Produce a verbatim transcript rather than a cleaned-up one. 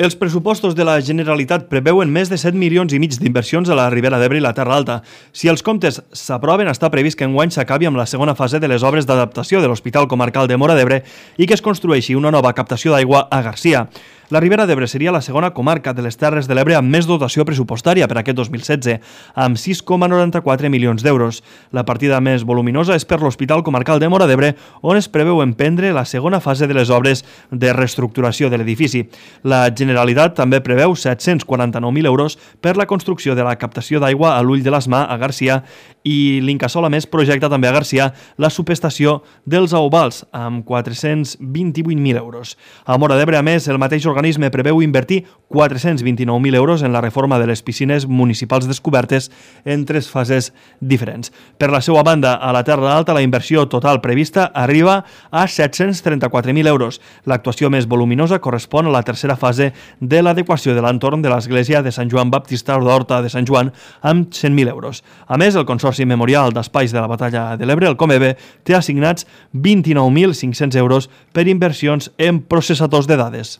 Els pressupostos de la Generalitat preveuen més de set milions i mig d'inversions a la Ribera d'Ebre i la Terra Alta. Si els comptes s'aproven, està previst que enguany s'acabi amb la segona fase de les obres d'adaptació de l'Hospital Comarcal de Móra d'Ebre i que es construeixi una nova captació d'aigua a Garcia. La Ribera d'Ebre seria la segona comarca de les Terres de l'Ebre amb més dotació pressupostària per aquest dos mil setze, amb sis coma noranta-quatre milions d'euros. La partida més voluminosa és per l'Hospital Comarcal de Móra d'Ebre, on es preveu emprendre la segona fase de les obres de reestructuració de l'edifici. La Generalitat també preveu set-cents quaranta-nou mil euros per la construcció de la captació d'aigua a l'Ull de l'Asmà a Garcia i l'Incasòl a més projecta també a Garcia la subestació dels Auvals amb quatre-cents vint-i-vuit mil euros. A Móra d'Ebre, a més, el mateix organisme preveu invertir quatre-cents vint-i-nou mil euros en la reforma de les piscines municipals descobertes en tres fases diferents. Per la seva banda, a la Terra Alta, la inversió total prevista arriba a set-cents trenta-quatre mil euros. L'actuació més voluminosa correspon a la tercera fase de l'adequació de l'entorn de l'església de Sant Joan Baptista d'Horta de Sant Joan amb cent mil euros. A més, el Consorci Memorial d'Espais de la Batalla de l'Ebre, el Comebe, té assignats vint-i-nou mil cinc-cents euros per inversions en processadors de dades.